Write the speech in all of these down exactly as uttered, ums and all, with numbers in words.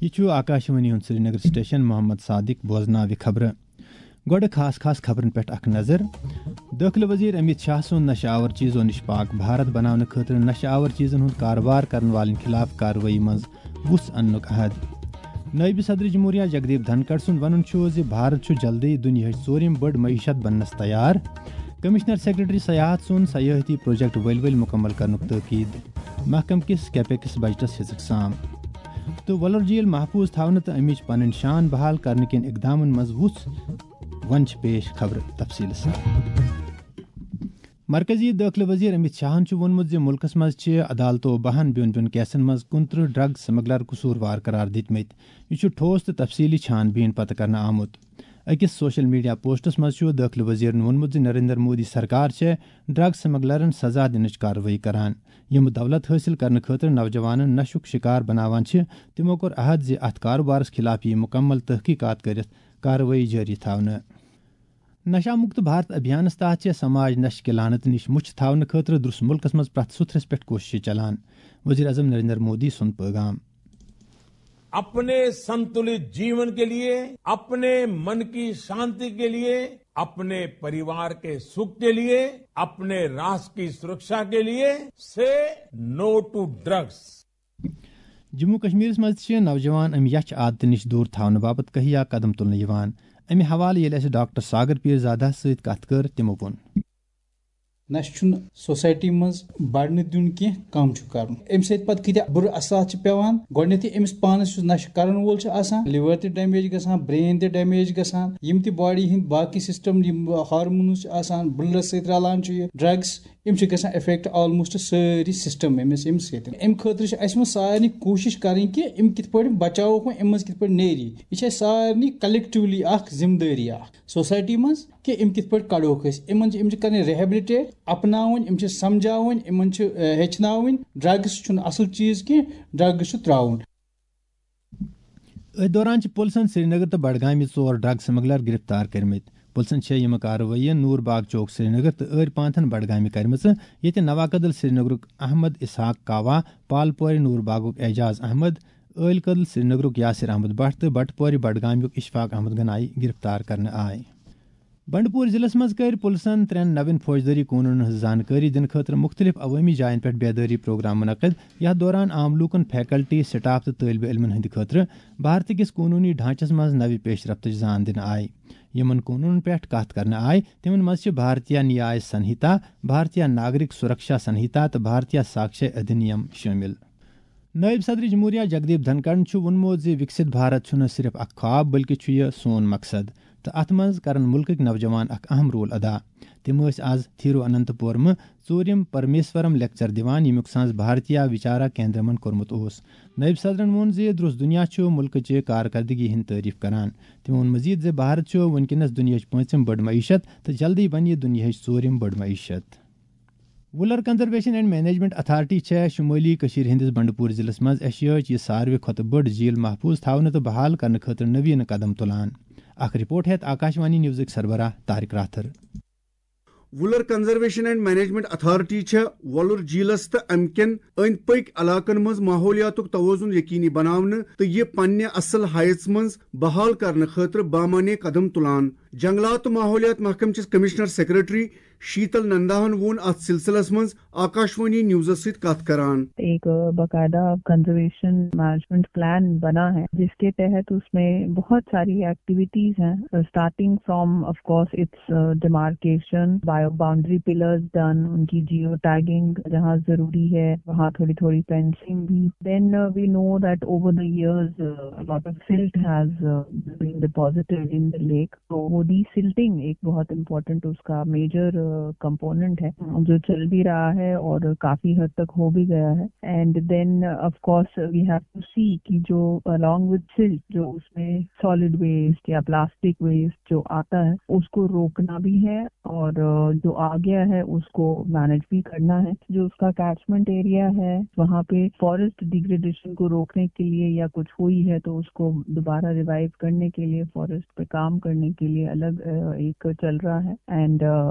یہِ چھُ آکاشوانی ہُنٛد سرینگر سٹیشن۔ محمد صادق بوزناوِ خبرٕ۔ گۄڈٕ خاص خاص خبرن پٮ۪ٹھ اکھ نظر۔ دٲخلہٕ وزیر امیت شاہ سُنٛد نشہٕ آور چیزو نِش پاک بھارت بناونہٕ خٲطرٕ نشہٕ آور چیزن ہُنٛد کارٕبار کرن والٮ۪ن خلاف کاروٲیی منٛز وُژھ اننُک عہد۔ نٲیِب صدر جمہوریہ جگدیپ دھنکڑ سُنٛد وَنُن چھُ زِ بھارت چھُ جلدٕے دُنیاہٕچ ژوٗرِم بٔڑ معیشت بننَس تیار۔ کمشنر سیکرٹری سیاحت سُنٛد سیاحتی پروجیکٹ ؤلۍ ؤلۍ مُکمل کرنُک تٲکید۔ محکمہٕ کِس کیپیکس بجٹس ہیٚژٕکھ سام۔ تہٕ وۄلُر جھیل محفوظ تھاونہٕ تہٕ امِچ پنٕنۍ شان بحال کرنہٕ کٮ۪ن اقدامن منٛز وُژھ۔ وۄنۍ چھِ پیش خبرٕ تفصیٖل سان۔ مرکزی دٲخلہٕ وزیر امیت شاہن چھُ ووٚنمُت زِ مُلکَس منٛز چھِ عدالتو بَہَن بیوٚن بیوٚن کیسَن منٛز کُنترٕہ ڈرگ سمگلر قصوٗروار قرار دِتمٕتۍ۔ یہِ چھُ ٹھوس تہٕ تفصیٖلی چھان بیٖن پتہٕ کرنہٕ آمُت۔ أکِس سوشل میڈیا پوسٹَس منٛز چھُ دٲخلہٕ وزیرَن ووٚنمُت زِ نریندر مودی سرکار چھےٚ ڈرگ سمگلرَن سزا دِنٕچ کاروٲیی کران۔ یِم دولت حٲصِل کرنہٕ خٲطرٕ نوجوانَن نشُک شکار بناوان چھِ، تِمو کوٚر عہد زِ اَتھ کاروبارَس خلاف یِیہِ مُکمل تحقیقات کٔرِتھ کاروٲیی جٲری تھاونہٕ۔ نشہ مکت بھارت ابھیانس تحت چھےٚ سماج نشہٕ کہِ لعنتہٕ نِش مُچھ تھاونہٕ خٲطرٕ درُس مُلکس منٛز پرٛٮ۪تھ سُتھرس پٮ۪ٹھ کوٗششہٕ چلان۔ وزیر اعظم نریندر مودی سُنٛد پٲغام۔ अपने संतुलित जीवन के लिए, अपने मन की शांति के लिए, अपने परिवार के सुख के लिए, अपने राष्ट्र की सुरक्षा के लिए, say no to drugs. Jammu کشمیرس منٛز تہِ چھِ نوجوان امہِ یچھ عادتہٕ نِش دوٗر تھاونہٕ باپتھ کہیا قدم تُلنہٕ یِوان۔ امہِ حوالہٕ ییٚلہِ اسہِ ڈاکٹر ساگر پیٖر زادہس سۭتۍ کتھ کٔر، تِمو ووٚن۔ نشہٕ چھُنہٕ سوسایٹی منٛز بڑنہٕ دیُن کینٛہہ، کم چھُ کرُن۔ امہِ سۭتۍ پتہٕ کۭتیاہ بُرٕ اثرات چھِ پٮ۪وان۔ گۄڈٕنیتھٕے أمِس پانس یُس نشہٕ کرن وول چھُ آسان، لِور تہِ ڈیمیج گژھان، برین تہِ ڈیمیج گژھان، یِم تہِ باڈی ہٕنٛدۍ باقٕے سسٹم، یِم ہارمونز چھِ آسان، بٕلڈس سۭتۍ رلان چھُ یہِ ڈرگس، یِم چھِ گژھان افیکٹ آلموسٹ سٲری سسٹم أمِس امہِ سۭتۍ۔ امہِ خٲطرٕ چھِ اسہِ وۄنۍ سارنٕے کوٗشش کرٕنۍ کہِ یِم کِتھ پٲٹھۍ بچاووکھ وۄنۍ، امہِ منٛز کِتھ پٲٹھۍ نیری۔ یہِ چھِ اسہِ سارنٕے کلیکٹولی اکھ ذمہٕ دٲری اکھ سوسایٹی منٛز۔ کہِ یِم کِتھ پٲٹھۍ کڑوکھ أسۍ۔ یِمن چھِ، یِم چھِ کرٕنۍ ریہیبلِٹیٹ، اپناوٕنۍ، یِم چھِ سمجھاوٕنۍ، یِمن چھِ، اہ، ہیٚچھناوٕنۍ۔ ڈرگس چھُنہٕ اصل چیٖز کینٛہہ، ڈرگس چھُ ترٛاوُن۔ أتھۍ دوران چھِ پُلسن سرینگر تہٕ بڈگامہِ ژور ڈرگ سمگلر گرفتار کٔرمٕتۍ۔ پُلسن چھےٚ یِمہٕ کاروٲیی نور باغ چوک سرینگر تہٕ ٲرۍ پانتھن بڈگامہِ کرِمژٕ، ییٚتہِ نوا کدل سرینگرُک احمد اسحاق کاوا، پالپورِ نور باغُک اعجاز احمد، ٲلۍ کدل سرینگرُک یاسر احمد بٹ تہٕ بٹپورِ بڈگامیُک اشفاق احمد گنایی گرفتار کرنہٕ آے۔ بنڈپور ضلعس منٛز کٔرۍ پُلسن ترٛٮ۪ن نوٮ۪ن فوجدٲری قونوٗنن ہٕنٛز زانکٲری دِنہٕ خٲطرٕ مُختٔلِف عوٲمی جاین پٮ۪ٹھ بیدٲری پروگرام منعقد، یتھ دوران عام لوٗکن، فیکلٹی، سٹاف تہٕ طٲلبہِ علمن ہٕنٛدِ خٲطرٕ بھارتہٕ کِس قونوٗنی ڈھانچس منٛز نوِ پیش رفتٕچ زان دِنہٕ آیہِ۔ یِمن قونوٗنن پٮ۪ٹھ کتھ کرنہٕ آیہِ، تِمن منٛز چھِ بھارتیہ نیاے سنہیتا، بھارتیہ ناگرک سرکشا سنہیتا تہٕ بھارتیہ ساکشے ادھینیم شٲمِل۔ نٲیِب صدر جمہوریہ جگدیپ دھنکڑَن چھُ ووٚنمُت زِ وِکسِت بھارت چھُنہٕ صرف اکھ خواب، بلکہِ چھُ یہِ سون مقصد تہٕ اَتھ منٛز کرن مُلکٕکۍ نوجوان اکھ اہم رول ادا۔ تِم ٲسۍ آز تھیرو اننت پورمہٕ ژوٗرِم پرمیشورم لیکچر دِوان، ییٚمیُک سانز بھارتیہ وچارا کیندرمن کوٚرمُت اوس۔ نٲیِب صدرَن ووٚن زِ درُس دُنیا چھُ مُلکٕچہِ کارکردگی ہٕنٛدۍ تعریف کران۔ تٔمۍ ووٚن مزید زِ بھارت چھُ وُنکیٚنَس دُنیاہٕچ پٲنٛژِم بٔڑ معیشت تہٕ جلدی بنہِ یہِ دُنیاہٕچ ژوٗرِم بٔڑ معیشت۔ Wular conservation and management authority چھےٚ شمٲلی کٔشیٖر ہٕنٛدِس بنڈپور ضلعس منٛز ایشیاہٕچ یہِ ساروٕے کھۄتہٕ بٔڑ جھیل محفوظ تھاونہٕ تہٕ بحال کرنہٕ خٲطرٕ نویٖنہٕ قدم تُلان۔ اکھ رپورٹ ہیٚتھ آکاشوانی نیوزٕکۍ سربراہ Tariq Rather. Wular conservation and management authority چھےٚ وۄلُر جھیلس تہٕ امہِ کٮ۪ن أنٛدۍ پٔکۍ علاقن منٛز ماحولیاتُک توازن یقینی بناونہٕ تہٕ یہِ پننہِ اصل ہایژ منٛز بحال کرنہٕ خٲطرٕ بامعنی قدم تُلان۔ جنگلات تہٕ ماحولیات محکمہٕ کِس کمشنر سیکرٹری شیتل ننداہن ووٚن اتھ سلسلس منٛز آکاشوانی نیوزس سۭتۍ کتھ کران۔ ایک باقاعدہ کنزرویشن مینجمنٹ پلان بنا ہے، جس کے تحت اس میں بہت ساری ایکٹیویٹیز ہیں، starting from of course it's demarcation, bio boundary pillars done, in ki Jio tagging جہاں ضروری ہے وہاں تھوڑی تھوڑی فینسنگ بھی۔ Then we know that over the years a lot of silt has been deposited in the lake. تو وہ D سلٹنگ ایک بہت important اس کا major component ہے جو چل بھی رہا ہے اور کافی حد تک ہو بھی گیا ہے۔ And then of course we have to see کہ جو along with silt جو اس میں سالڈ ویسٹ یا پلاسٹک ویسٹ جو آتا ہے اس کو روکنا بھی ہے اور جو آ گیا ہے اس کو مینج بھی کرنا ہے۔ جو اس کا کیچمنٹ ایریا ہے وہاں پہ فارسٹ ڈیگریڈیشن کو روکنے کے لیے یا کچھ ہوئی ہے تو اس کو دوبارہ ریوائیو کرنے کے لیے، فارسٹ پہ کام کرنے کے لیے अलग अ, एक चल रहा है, and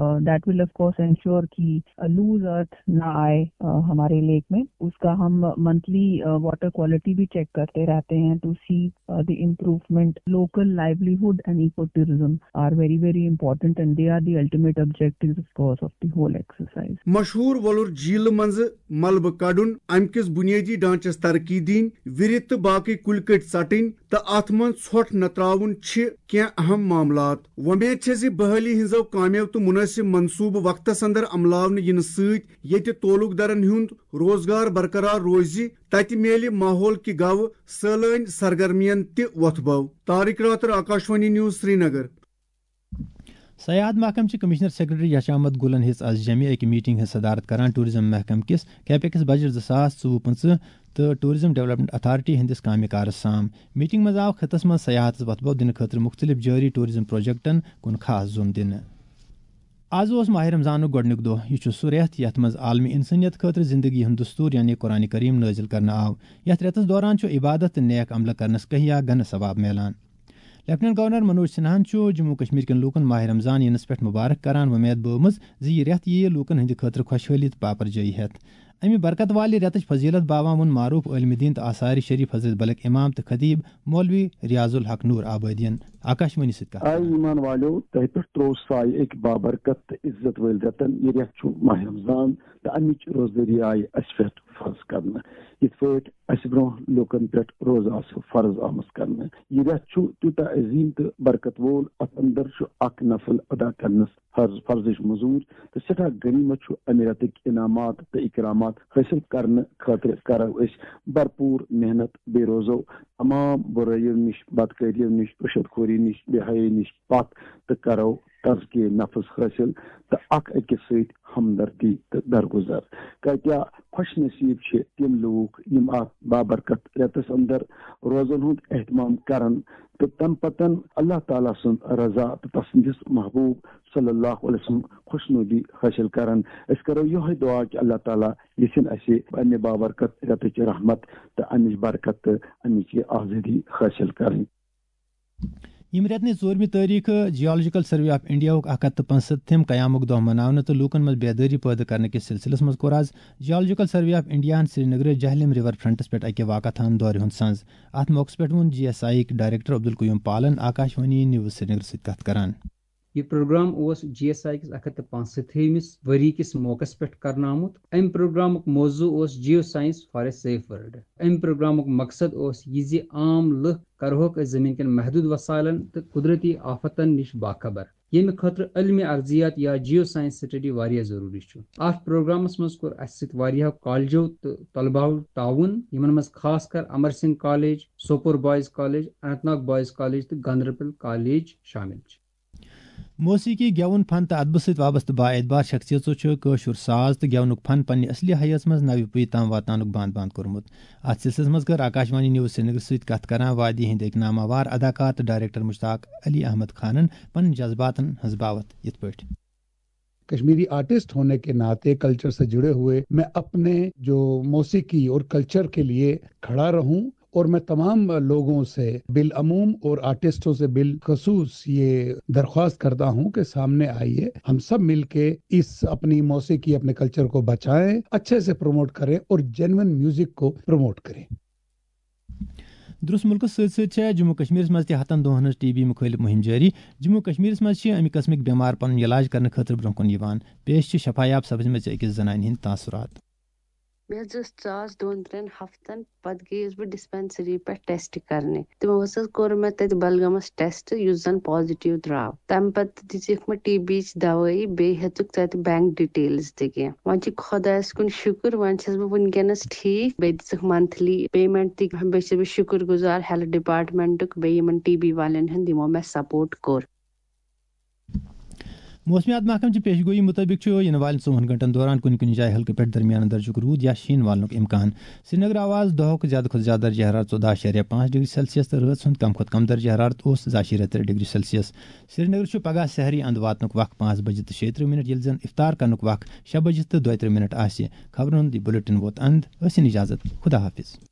that will of course ensure कि लूज अर्थ ना आए अ, हमारे लेक में। उसका हम मंथली वाटर क्वालिटी भी चेक करते रहते हैं to see the improvement. Local livelihood and ecotourism are very, very important, and they are the ultimate objectives, of course, of the whole exercise. مشہوٗر وۄلُر جھیلہٕ منٛزٕ ملبہٕ کڑُن، امہِ کِس بُنیٲدی ڈھانچس ترقی دِنۍ، وِرِ تہٕ باقٕے کُلۍ کٔٹۍ ژٹٕنۍ تہٕ اتھ منٛز ژھۄٹھ نتراوُن چھِ کینٛہہ اہم معاملات۔ وۄمید چھےٚ زِ بحٲلی ہٕنٛزو کامیو تہٕ مُنٲسِب منصوٗبہٕ وقتس اندر عملاونہٕ یِنہٕ سۭتۍ ییٚتہِ تعلق دارن ہُنٛد روزگار برقرار روزِ، تتہِ میلہِ ماحول کہِ گوٚو سٲلٲنۍ سرگرمین تہِ وۄتھ بو۔ طارق راتر، آکاشوانی نیوز، سرینگر۔ سیاحت محکمہٕ چہِ کمشنر سیکرٹری یش احمد گلن ہیٚژ از جمعہ اکہِ میٹنگ ہٕنٛز صدارت کران ٹورازم محکمہٕ کِس کیپیکس بجٹ زٕ ساس ژوٚوُہ پٕنٛژٕہ تہٕ ٹورازم ڈیولپمنٹ اتھارٹی ہٕنٛدِس کامہِ کارس سام۔ میٹنگ منٛز آو خطس منٛز سیاحتس وتھ بو دِنہٕ خٲطرٕ مُختٔلِف جٲری ٹورازم پروجیکٹن کُن خاص زوٚن دِنہٕ۔ از اوس ماہ رمضانُک گۄڈٕنیُک دۄہ۔ یہِ چھُ سُہ رٮ۪تھ یتھ منٛز عالمی انسٲنیت خٲطرٕ زندگی ہُنٛد دستور یعنی قرآن کریم نٲزِل کرنہٕ آو۔ یتھ رٮ۪تس دوران چھُ عبادت تہٕ نیک عملہٕ کرنس کہیا گنہٕ ثواب میلان۔ لیفٹیننٹ گورنر منوج سنہاہن چھُ جموں کشمیر کٮ۪ن لوٗکن ماہ رمضان یِنس پٮ۪ٹھ مبارک کران، وۄمید بٲومٕژ زِ یہِ رٮ۪تھ یِیہِ لوٗکن ہٕنٛدِ خٲطرٕ خۄشحٲلی تہٕ پاپر جٲیی ہٮ۪تھ۔ امہِ برکت والہِ رٮ۪تٕچ فضیلت باوان ووٚن معروف عٲلمِ دیٖن تہٕ آثار شریف حضرت بلک امام تہٕ خطیب مولوی ریاض الحق نور آبادین آکاشوانی سۭتۍ کتھ اے کران۔ ایمان والیو، تۄہہِ پٮ۪ٹھ تروو سایہِ أکۍ بابرکت تہٕ عزت وٲلۍ رٮ۪تن۔ یہِ رٮ۪تھ چھُ ماہ رمضان تہٕ امِچ روزدٲری آیہِ اسہِ پٮ۪ٹھ فرض کرنہٕ۔ یِتھ پٲٹھۍ اسہِ برونٛہہ لوٗکن پٮ۪ٹھ روزٕ آسہٕ فرض آمٕژ کرنہٕ۔ یہِ رٮ۪تھ چھُ تیوٗتاہ عظیٖم تہٕ برکت وول، اتھ اندر چھُ اکھ نفل ادا کرنس فرض، فرضٕچ مٔزوٗرۍ تہٕ سٮ۪ٹھاہ غنیٖمت چھُ امہِ رٮ۪تٕکۍ انعامات تہٕ اکرامات حٲصِل کرنہٕ خٲطرٕ کرو أسۍ بھرپوٗر محنت، بیٚیہِ روزو تمام بُرٲیِو نِش، بدکٲریو نِش، رُشوت خوری نِش، بے حیٲیی نِش پتھ تہٕ کرو تزکیہ نفس حٲصِل تہٕ اکھ أکِس سۭتۍ ہمدردی تہٕ درگُزر۔ کاتیا خۄش نصیٖب چھِ تِم لوٗکھ یِم اتھ بابرکت رٮ۪تس اندر روزن ہُنٛد اہتمام کرن تہٕ تمہِ پتن اللہ تعالیٰ سٕنٛز رضا تہٕ تسٕنٛدِس محبوب صلی اللہ علیہ وسلم خۄشنودی حٲصِل کرن۔ أسۍ کرو یِہوٚے دُعا کہِ اللہ تعالیٰ یژھِن اسہِ امہِ بابرکت رٮ۪تٕچ رحمت تہٕ امِچ برکت تہٕ امِچ یہِ آزٲدی حٲصِل کرٕنۍ۔ ییٚمہِ رٮ۪تنٕچ ژوٗرمہِ تٲریٖخ جیولوجیکل سروے آف انڈیاہُک اکھ ہتھ تہٕ پانٛژستھِم قیامُک دۄہ مناونہٕ تہٕ لوٗکن منٛز بیدٲری پٲدٕ کرنہٕ کِس سلسلس منٛز کوٚر از جیولوجیکل سروے آف انڈیاہن سرینگرٕ جہلم ریور فرنٹس پٮ۪ٹھ اکہِ واقعہ تھان دورِ ہُنٛد سنز۔ اتھ موقعس پٮ۪ٹھ ووٚن جی ایس آئی یِکۍ ڈائریکٹر عبدالقیوم پالن آکاشوانی نیوز سرینگر سۭتۍ کتھ کران۔ یہِ پروگرام اوس جی ایس آئی کِس اکھ ہتھ تہٕ پانٛژستھمِس ؤری کِس موقعس پٮ۪ٹھ کرنہٕ آمُت۔ امہِ پروگرامُک موضوع اوس Geoscience for a Safe World۔ امہِ پروگرامُک مقصد اوس یہِ زِ عام لُکھ کرہوکھ أسۍ زٔمیٖن کٮ۪ن محدوٗد وسایلن تہٕ قدرتی آفتن نِش باخبر، ییٚمہِ خٲطرٕ علمِ ارضیات یا جیو ساینس سٹڈی واریاہ ضروٗری چھُ۔ اتھ پروگرامس منٛز کوٚر اسہِ سۭتۍ واریاہو کالجو تہٕ طلباہو تعاوُن، یِمن منٛز خاص کر Amar Singh college, Sopore boys college, Anant Nag boys college تہٕ گاندربل کالج شٲمِل چھِ۔ موسیقی، گٮ۪وُن، فن تہٕ ادبہٕ سۭتۍ وابستہٕ با اعتبار شخصیژو چھُ کٲشُر ساز تہٕ گٮ۪ونُک فن پننہِ اصلی حیٲژ منٛز نوِ پُیہِ تام واتناونُک باند باند کوٚرمُت۔ اتھ سلسلس منٛز کٔر آکاشوانی نیوز سرینگر سۭتۍ کتھ کران وادی ہٕنٛدۍ أکۍ ناماوار اداکار تہٕ ڈائریکٹر مشتاق علی احمد خانن پنٕنۍ جذباتن ہٕنٛز باوتھ یِتھ پٲٹھۍ۔ کشمیری آرٹسٹ ہونے کے ناطے کلچر سے جڑے ہوئے میں اپنے جو موسیقی اور کلچر کے لیے کھڑا رہوں، اور میں تمام لوگوں سے بالعموم اور آرٹسٹوں سے بالخصوص یہ درخواست کرتا ہوں کہ سامنے آئیے، ہم سب مل کے اس اپنی موسیقی، اپنے کلچر کو بچائیں، اچھے سے پروموٹ کریں اور جینوئن میوزک کو پروموٹ کریں۔ درس ملکس سۭتۍ سۭتۍ چھےٚ جموں کشمیرس منٛز تہِ ہتن دۄہن ہٕنٛز ٹی بی مُخٲلف مُہِم جٲری۔ جموں کشمیرس منٛز چھِ امہِ قٕسمٕکۍ بٮ۪مار پنُن علاج کرنہٕ خٲطرٕ برونٛہہ کُن یِوان۔ پیش چھِ شفایاب سبزِ مژِ أکِس زنانہِ ہٕنٛدۍ تاثرات۔ مےٚ حظ ٲس ژاس دۄن ترٛٮ۪ن ہفتن، پتہٕ گٔیَس بہٕ ڈسپینسری پٮ۪ٹھ ٹیسٹ کرنہِ۔ تِمو حظ کوٚر مےٚ تتہِ بلگامس ٹیسٹ، یُس زن پازیٹیو درٛاو۔ تمہِ پتہٕ دِژٕکھ مےٚ ٹی بی یِچ دوٲیی، بیٚیہِ ہیٚژٕکھ تتہِ بینک ڈیٹیلز تہِ کینٛہہ۔ وۄنۍ چھُ خۄدایس کُن شُکر، وۄنۍ چھَس بہٕ وٕنکیٚنس ٹھیٖک۔ بیٚیہِ دِژٕکھ منتھلی پیمنٹ تہِ۔ بیٚیہِ چھَس بہٕ شُکر گُزار ہیلتھ ڈپارٹمنٹُک، بیٚیہِ یِمن ٹی بی والٮ۪ن ہُنٛد، یِمو مےٚ سپورٹ کوٚر۔ موسمیات محکمہٕ چہِ پیشگویی مُطٲبِق چھُ یِنہٕ والٮ۪ن ژوٚوُہن گھنٹن دوران کُنہِ کُنہِ جایہِ ہلکہٕ پٮ۪ٹھ درمیان درجُک روٗد یا شیٖن والنُک امکان۔ سرینگر آو آز دۄہُک زیادٕ کھۄتہٕ زیادٕ درجہ حرارت ژۄداہ اعشاریہ پانٛژھ ڈگری سیلسیس تہٕ رٲژ ہُنٛد کم کھۄتہٕ کم درجہ حرارت اوس زٕ اعشاریہ ترٛےٚ ڈگری سیلسیس۔ سرینگر چھُ پگاہ سحری اند واتنُک وق پانٛژھ بجہِ تہٕ شیٚیہِ ترٕٛہ منٹ، ییٚلہِ زن افطار کرنُک وق شےٚ بجہِ تہٕ دۄیہِ ترٕٛہ منٹ آسہِ۔ خبرن ہُنٛد یہِ بلیٹن ووت اند۔ ٲسِن اجازت۔ خدا حافظ۔